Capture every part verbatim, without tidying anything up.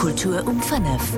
Kultur um fënnef.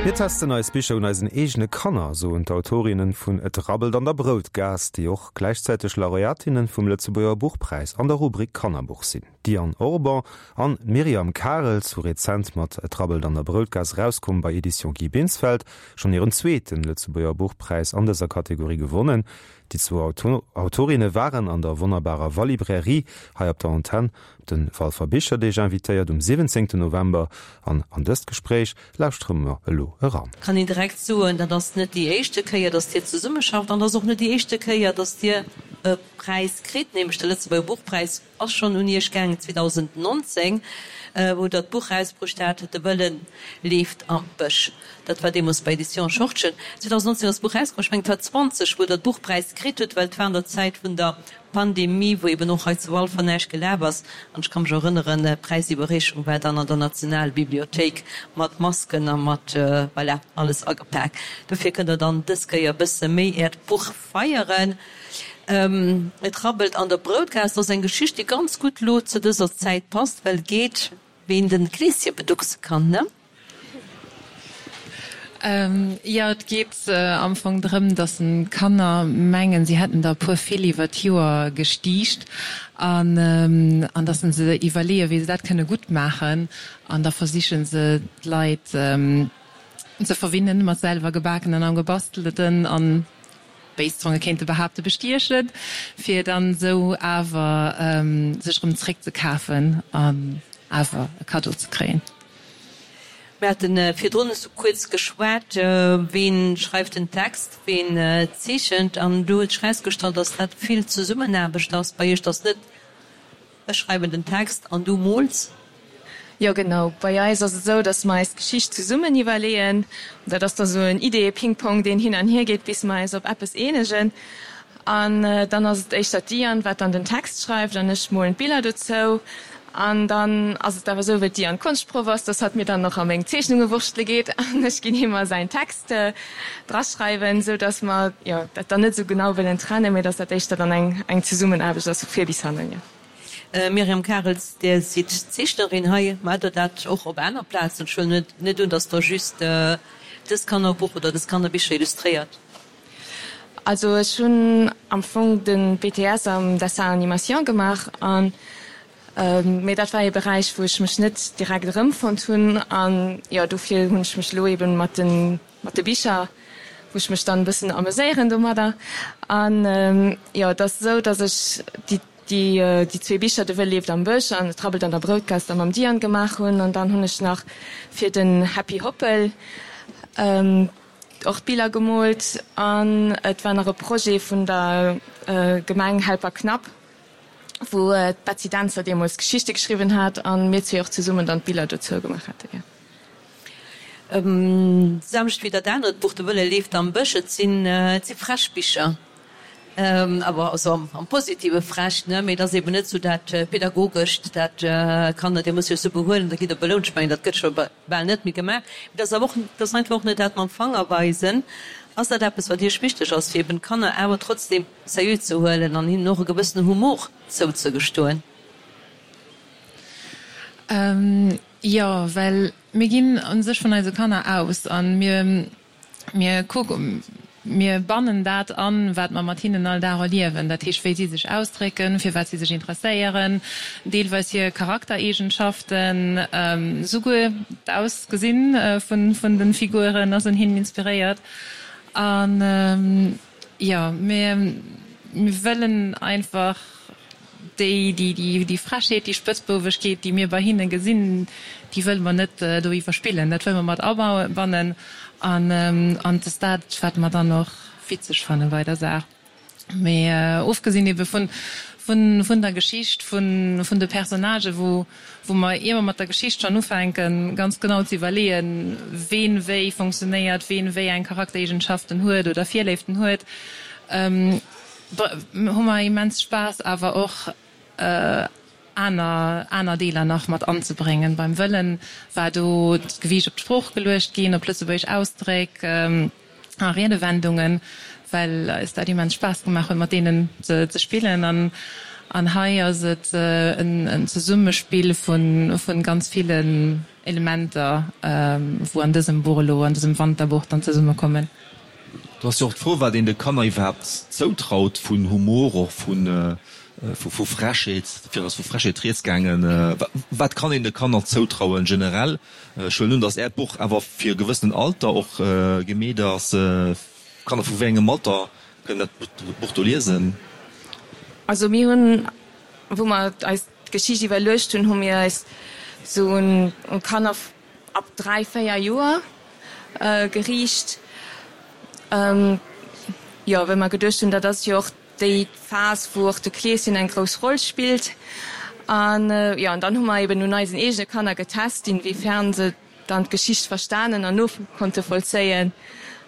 Mir testen eis Bicher un eisen eegene Kanner, soen d'Autorinnen vun Et rabbelt an der Broutgaass, déi och gläichzäiteg Laureatinnen vum Lëtzebuerger Buchpräis an der Rubrik Kannerbuch sinn. D'Diane Orban an d'Myriam Karels hu rezent mat Et rabbelt an der Broutgaass, erauskomm bei Editions Guy Binsfeld, schonn hiren zweeten Lëtzebuerger Buchpräis an dëser Kategorie gewonnen. Déi zwou Autorinne waren an der wonnerbarer Walibrairie hei op der Antenn op de Walfer Bicherdeeg invitéiert um siwwenzéngten November an an dëst Gespréich lauschtere mer elo eran. Kann een direkt soen, dat ass net déi éischte Kéier, datt Dir zesummeschafft an et ass och net déi éischte Kéier, datt Dir e Präis kritt, nämlech de Lëtzebuerger Buchpräis ass schonn un Iech gaangen zweedausendnonzéng, wou Der d'Buch erausbruecht hat, De Wëllen leeft am Bësch. Dat war deemools bei Editions Schortgen. zweedausendnonzéng ass d'Buch erauskomm, ech mengen et war zwanzeg, wou Der d'Buchpräis kritt hutt, well et war an der Zäit vun der Pandemie, wou eben och hei zu Walfer näischt gelaf ass. An ech ka mech erënneren, d'Präisiwwerreechung war dann an der Nationalbibliothéik mat Masken a mat, voilà, alles agepak. Dofir kënnt Der dann dës Kéier e bësse méi Äert Buch feieren. Et rabbelt an der Broutgaass ass eng Geschicht, déi ganz gutt lo zu dëser Zäit passt, well et geet, ween de Kleeschen beduckse kann, ne? Jo, et geet am Fong drëm, datt d'Kanner mengen, si hätten der e puer vill iwwer d'Joer gestiicht an an datt se iwwerleeën, wéi se dat kënne gutt maachen an da versiche se d'Leit ze verwinnen mat selwer gebakenen an gebastelten an béis Zonge kéinte behaapte bestiechen, fir dann esou awer sech erëm zréckzekafen an awer e Kaddo ze kréien. Mir hate virdrun esou kuerz geschwat, ween schreift den Text, ween zeechent, an do huet sech erausgestallt, dass dat vill Zesummenaarbecht ass bei iech, dass net ech schreiwen den Text an du mools. Jo genau, bei eis ass et esou, dass mer eis d'Geschicht zesummen iwwerleeën. Dat ass da sou en Ideeë-Ping-Pong, deen hin an hier geet, bis mer eis op eppes eenegen. An dann ass et éischter d'Diane, wat dann den Text schreift an ech molen d'Biller dozou. An dann ass et awer esou, wëll d'Diane Konschtproff ass, dass hatt mir dann nach a meng Zeechnunge wurschtele geet an ech ginn him mer säin Text draschreiwen, esou dass mer, jo, dat dann net esou genau wëllen trennen, mee dass dat éischter dann eng eng Zesummenaarbecht ass vu vir bis hannen, jo. Myriam Karels, Dir sidd Zeechnerin hei. Maacht Der dat och op aner Plazen? Ech huelen net un, dass Der just dëst Kannerbuch oder dës Kannerbicher illustréiert. Also ech hunn am Fong de B T S am Dessin Animation gemaach an mee dat war ee Beräich, wou ech mech net direkt erëmfonnt hunn an jo dofir hunn ech mech elo eben mat de mat de Bicher, wou ech mech dann e bëssen ameséieren domadder. An jo et ass esou, datt ech déi déi déi zwee Bicher De Wëll leeft am Bësch an Et rabbelt an der Broutgaass da mam Diane gemaach hunn an dann hunn ech nach fir den Happy Hoppel och d'Biller gemoolt an et war nach e Projet vun der Gemeng Helperknapp, wou d'Betsy Dentzer deemools d'Geschichte geschriwwen hat an mir zwee och zesummen dann d'Biller dozou gemaach hate. D'selwecht wéi dat anert Buch De Wëlle leeft am Bësch. Et sinn et si frech Bicher, awer also am positive frech, ne, mee et ass eben net esou dat Pedagogescht, dat Kanner, Dir musst iech esou behuelen, da gitt der belount. Ech mengen, dat gëtt scho bal net méi gemaach. Mee et ass awer och, et ass einfach och net dat mam Fanger weisen. Ass dat eppes, wat Iech wichteg ass, fir eben d'Kanner awer trotzdem seriö ze huelen an hinnen och e gewëssene Humor zouzegestoen? Jo, well mir ginn u sech vun eise Kanner aus a mir, mir kucken, mir bannen dat an, wat mer mat hinnen all Dag erliewen. Dat heescht, wéi si sech ausdrécken, fir wat si sech interesséieren, deelweis hir Charaktereegenschaften, souguer d'Ausgesinn vun, vun de Figuren ass un hinnen inspiréiert. An jo, mir, mir wëllen einfach déi, déi, déi, déi Frechheet, déi Spëtzbouwegkeet, déi mir bei hinne gesinn, déi wëlle mer net do iwwerspillen. Dat wëlle mer mat abannen an, an et ass dat, wat mer dann och witzeg fanne bei der Saach. Mee ofgesinn ebe vun, vun, vun der Geschicht, vun, vun de Personnagen, wou, wou mer, ier mer mat der Geschicht schonn ufänken, ganz genau ze iwwerleeën, ween wéi funktionéiert, ween wéi eng Charaktereegenschaften huet oder Virléiften huet, hu mer immens Spaass awer och aner, aner Deeler nach mat anzebréngen. Beim Wëllen war do d'Gewiicht op d'Sprooch geluecht ginn, op lëtzebuergesch Ausdréck a Riedewendungen, well eis dat immens Spaass gemaach huet, mat deenen ze, ze spillen. An, An hei ass et en Zesummespill vu ganz villen Elementer, wou an dësem Buch elo, an dësem Wanterbuch dann zesummekommen. Do ass jo och d'Fro, wat een de Kanner iwwerhaapt zoutraut vun Humor, och vu Frechheet. Vir ass vu Frechheet rieds gaangen. Wat kann een de Kanner zoutrauen generell? Ech huelen un, datt Äert Buch awer fir e gewëssenen Alter och gemeet ass. Kanner vu wéi engem Alter kënnen dat Buch do liesen? Also mir hunn, wou mer eis d'Geschicht iwwerluecht hunn, hu mir eis sou un Kanner ab dräi, véier Joer geriicht. Jo, well mer geduecht hunn, dat ass jo och déi Phas, wou och de Kleeschen eng grouss Roll spillt. An jo, an dann hu mer eben un eisen eegene Kanner getest, inwiefern se dann d'Geschicht verstanen an no konnte vollzéien.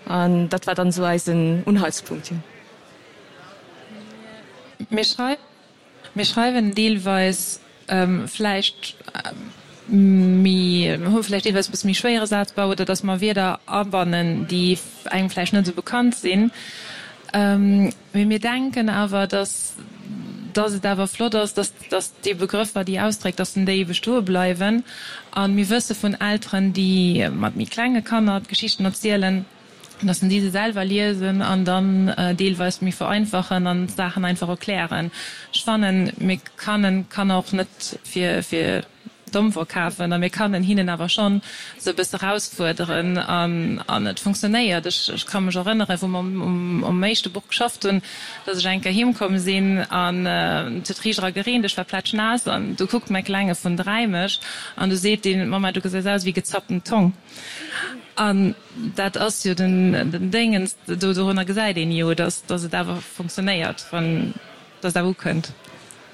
An dat war dann esou eisen Unhaltspunkt, jo. Mir schreiwen, mir schreiwen deelweis vläicht méi, hu vläicht deelweis e bësse méi schwéiere Sazbau oder datt mer Wierder abannen, déi engem vläicht net esou bekannt sinn. Mee mir denken awer, datt, datt et awer flott ass, datt, datt déi Begrëffer, déi Ausdréck, datt déi bestoe bleiwen. A mir wësse vun Elteren, déi mat méi klenge Kanner d'Geschichten erzielen, dass en déi se selwer liesen an dann deelweis méi vereinfachen an d'Saachen einfach erklären. Ech fannen, mir kannen Kanner och net fir fir domm verkafen a mir kannen hinnen awer schonn se e bësse erausfuerderen an an et funktionéiert. Ech ech ka mech erënneren, wou mer um um éischte Buch geschafft hunn, dass ech eng Kéier heem komm sinn an et huet riicht era gereent, ech war plätschnaass an du kuckt mäi Klenge vun dräi mech an du seet deen, Mama, du gesäis aus wéi gezappten Tong. An dat ass jo den Déngens, do dorunner gesäit een jo, dass dass et awer funktionéiert, wann dass et awer ukënnt.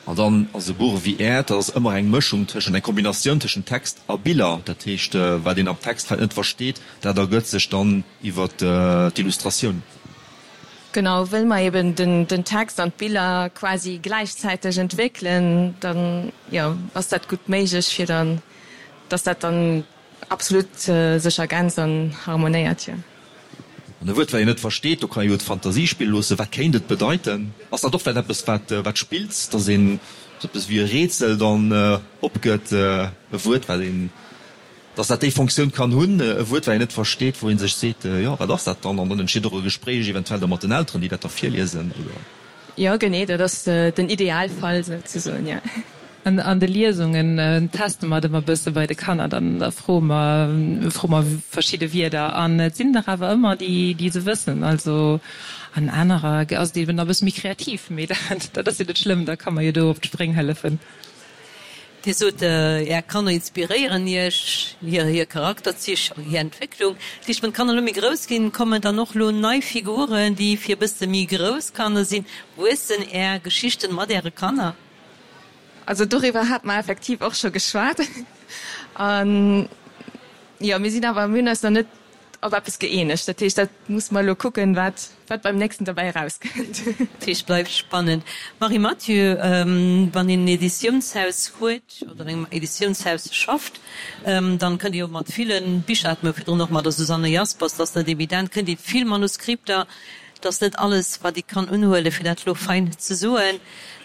An dann ass e Buch ewéi Äert, dat ass ëmmer eng Mëschung tëschent, eng Kombinatioun tëschent Text a Biller. Dat heescht, wat een am Text vläicht net versteet, dat ergëtt sech dann iwwer d'Illustratioun. Genau, wëll mer eben den Text an d'Biller quasi gläichzäiteg entwéckelen, dann, jo, ass dat gutt méiglech, fir dann, dass dat dann Absolut sech ergänzt an harmonéiert, jo. An e Wuert, wat een net versteet, do kann ee jo d'Fantasie spille loossen, wat kéint et bedeiten? Ass dat och vläicht eppes, wat wat spillt, dass een esou eppes wéi e Rätsel dann opgëtt, e Wuert, wat een, dass dat déi Fonctioun kann hunn, e Wuert, wat een net versteet, wou ee sech seet, jo, wat ass dat dann? An dann entsteet och e Gespréich eventuell da mat den Elteren, déi dat da virliesen, oder? Jo, genee, dat ass den Idealfall souzesoen, jo. An de Liesungen teste mer et ëmmer e bësse bei de Kanner, dann da froe mer, froe mer verschidde Wierder an et sinn der awer ëmmer déi, déi se wëssen. Also an anerer ass et eben da e bësse méi kreativ, mee dat, dat ass jo net schlëmm, da ka mer jo do op d'Spréng hëllefen. Dir sot, Är Kanner inspiréieren Iech, hir, hir Charakterzich, hir Entwécklung. Dat heescht, wann d'Kanner elo méi grouss ginn, kommen dann och elo nei Figuren, déi fir e bësse méi grouss Kanner sinn. Wuessen Är Geschichten mat Äre Kanner? Also doriwwer hate mer effektiv och scho geschwat. An jo, mir sinn awer, mir hunn eis nach net op eppes gëeenegt. Dat heescht, dat musse mer elo kucken, wat wat beim nächsten derbäi erauskënnt. Dat heescht, bleift spannend. Marie Mathieu, wann een en Editiounshaus huet oder an engem Editiounshaus schafft, dann kënnt ee jo mat ville Bicher, hate mer virdrun och mat der Susanne Jaspers, dat ass net evident, kënnt ee vill Manuskripter, Et ass net alles, wat ee kann unhuelen, fir dat elo fein ze soen.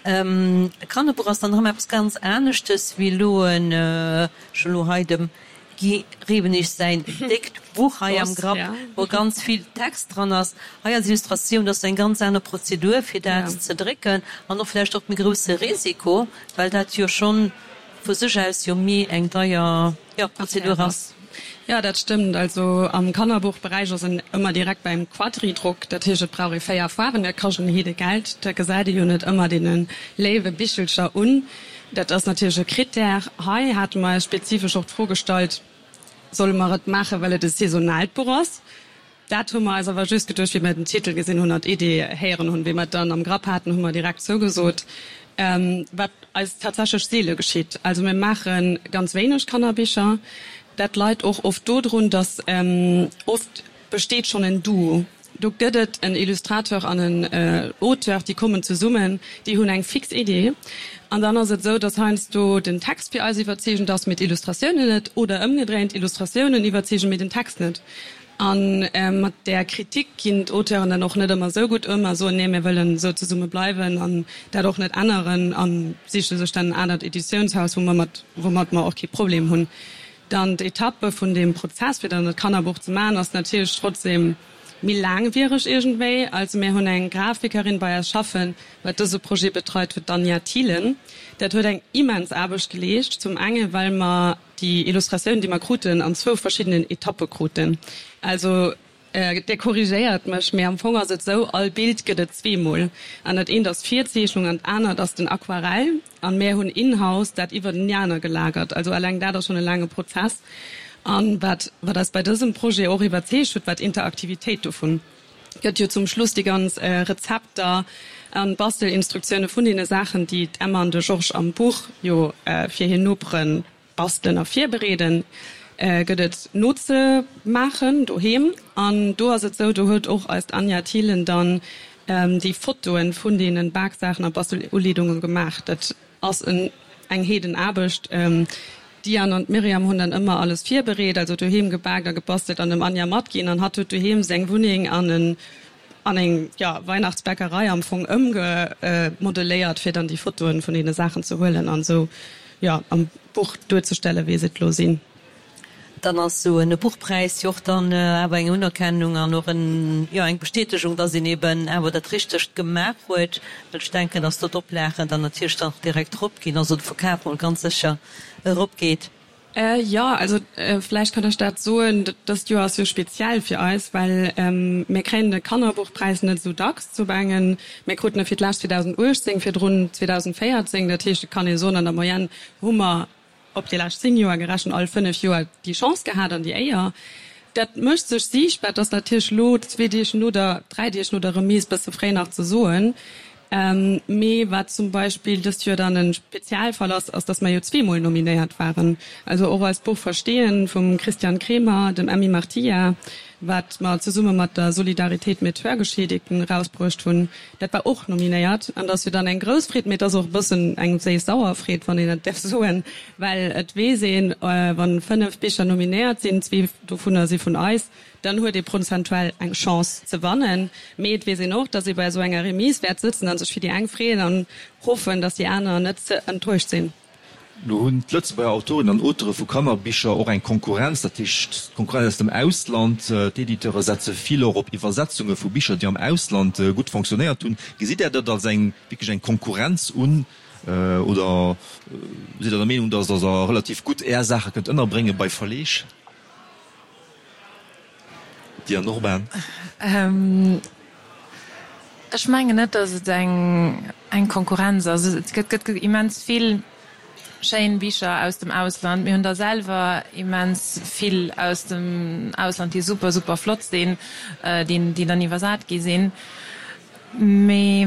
E Kannerbuch ass dann erëm eppes ganz aneschtes wéi elo en, ech hunn elo hei dem Guy Rewenig säin déckt Buch hei am Grapp, wou ganz vill Text dran ass. Hei als Illustratioun, dat ass eng ganz aner Prozedur, fir dat ze drécken an och vläicht och méi grousse Risiko, well dat jo schonn vu sech aus jo méi eng deier, jo, Prozedur ass. Jo, dat stëmmt. Also am Kannerbuchberäich ass en ëmmer direkt beim Quadridrock. Dat heescht, et brauch ee véier Faarwen. Dat kascht en Heede Geld. Dat gesäit ee jo net ëmmer deene léiwe Bichelcher un. Dat ass natierlech e Krittär. Hei hate mer eis spezifesch och d'Fro gestallt, Solle mer et maachen, well et e saisonaalt Buch ass? Dat hu mer eis awer just geduecht, wéi mer den Titel gesinn hunn an d'Idee héieren hunn. Wéi mer et dann am Grapp haten, hu mer direkt zougesot. Wat eis tatsächlech seele geschitt. Also mir maache ganz wéineg Kannerbicher. Dat leit och oft dodrun, datt oft besteet schonn en Duo. Do gëtt et en Illustrateur an en Auteur, déi kommen zesummen, déi hunn eng fix Idee. An dann ass et esou, datt heiansdo den Text fir eis iwwerzeegend ass, mee d'Illustratiounen net, oder ëmgedréint, d'Illustratiounen iwwerzeegen, mee den Text net. A mat där Kritik ginn d'Auteuren dann och net ëmmer esou gutt ëm a soen, nee mir wëllen esou zesumme bleiwen an dat och net änneren a siche sech dann en anert Editiounshaus, wou mer mat, woumat mer och kee Problem hunn. Dann d'Etappe vun deem Prozess, fir dann dat Kannerbuch ze maachen, ass natierlech trotzdem méi laangwiereg iergendwéi. Also mir hunn eng Grafikerin bei eis schaffen, wat dëse Projet betreit huet, d'Anja Thielen. Dat huet eng immens Aarbecht geleescht, zum enge well mer déi Illustratioun, déi mer kruten, an zwou verschiddenen Etappe kruten. Also Dir korrigéiert mech, mee am Fong ass et esou, all Bild gëtt et zweemol. An dat eent ass d'Virzeechnung an d'anert ass den Aquarell. An mär hunn in-house dat iwwertenaner gelagert. Also eleng dat ass schonn e laange Prozess. An wat wat eis bei dësem Projet och iwwerzeegt huet, war d'Interaktivitéit dovun. Gëtt jo zum Schluss déi ganz Rezepter an Bastelinstruktioune vun deene Saachen, déi d'Emma an de Georges am Buch jo fir hir Nopere bastelen a virbereeden, gëtt et nozemaachen doheem. An do ass et esou, do huet och eist Anja Thielen dann déi Fotoen vun deene Baksaachen a Basteluleedunge gemaach. Dat ass eng Heedenaarbecht. D'Diane an d'Myriam hunn dann ëmmer alles virbereet, also doheem gebaakt a gebastelt an dem Anja matginn. An hatt huet doheem seng Wunneng an en an eng, jo, Weihnachtsbäckerei am Fong ëmgemodeléiert, fir dann déi Fotoen vun deene Saachen ze huelen an esou, jo, am Buch duerzestellen, wéi se et elo sinn. Dann ass esou en Buchpräis jo och dann awer eng Unerkennung an och en, jo, eng Bestätegung, dass een eben awer dat Richtegt gemaach huet, well ech denken, dass do d'Oplagen dann natierlech dann och direkt eropginn, also de Verkaf mol ganz sécher eropgeet. Jo, also vläicht kann ech dat soen, dëst Joer ass jo speziell fir eis, well mir kréien de Kannerbuchpräis net esou dacks zu Bengen. Mir kruten e fir d'lescht zweedausenduechtzéng, virdrun zweedausendvéierzéng. Dat heescht, et kann ee soen, an der Moyenne hu mer op déi lescht zéng Joer gerechent all fënnef Joer déi Chance gehat an déi Éier. Dat mécht sech siichtbar. Et ass natierlech elo zwee Deeg no der, dräi Deeg no der Remise bësse fréi nach ze soen. Mee wat zum Beispill dëst Joer dann e Spezialfall ass, ass datt mer jo zweemol nominéiert waren. Also och eist Buch Verstehen vum Christian Kremer, dem Emmy Martilla, wat mer zesumme mat der Solidaritéit mit Hörgeschädigten erausbruecht hunn, dat war och nominéiert. An dat ass jo dann eng grouss Freed, mee et ass och e bëssen eng séiss-sauer Freed, wann een dat däerf soen, well et weess een, wa fënnef Bicher nominéiert sinn, zwee dovunner si vun eis, Dann huet ee prozentuell eng Chance ze wannen. Mee et weess een och, datt ee bei esou enger Remise wäert sëtzen a sech fir déi eng freeën an hoffen, datt déi aner net ze enttäuscht sinn. Lo hunn d'Lëtzebuerger Autorinnen an Auteure vu Kannerbicher och eng Konkurrenz, dat heescht d'Konkurrenz aus dem Ausland. D'Editeure setze vill och op Iwwersetzunge vu Bicher, déi am Ausland gutt fonctionnéiert hunn. Gesitt Där dat als eng wierklech eng Konkurrenz un oder sidd Der der Meenung, datt Der relativ gutt Är Saache kënnt ënnerbrénge bei Verleeg? Diane Orban. Ech mengen net, datt et eng Konkurrenz ass. Et gëtt immens vill schéin Bicher aus dem Ausland. Mir hunn der selwer immens vill aus dem Ausland, déi super, super flott sinn, déi dann iwwersat gi sinn. Mee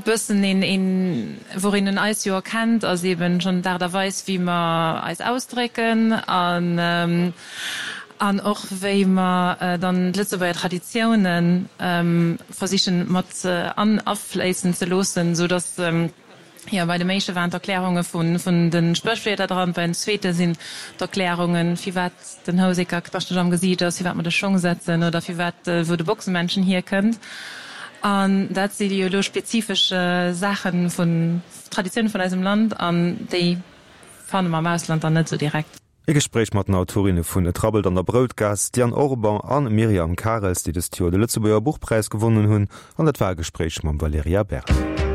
bëssen een, een, woureen en eis jo erkennt, ass eben schonn d'Aart a Weis, wéi mer eis ausdrécken an, an och wéi mer dann d'Lëtzebuerger Traditiounen versichen mat an afléissen ze loossen, sou dass, jo, bei dem éischte waren d'Erklärunge vun, vun de Spréchwierder dran, bei den zweete sinn d'Erklärungen, firwat den Houseker knaschteg am Gesiicht ass, firwat mer de Schong setzen oder firwat, wou de Boxemännchen hierkënnt. An dat si jo elo spezifesch Saache vun Traditioune vun eisem Land an déi fanne mer am Ausland dann net esou direkt. E Gespréich mat den Autorinne vun Et rabbelt an der Broutgaass, Diane Orban a Myriam Karels, déi dëst Joer de Lëtzebuerger Buchpräis gewonnen hunn. An dat war e Gespréich mam Valerija Berdi.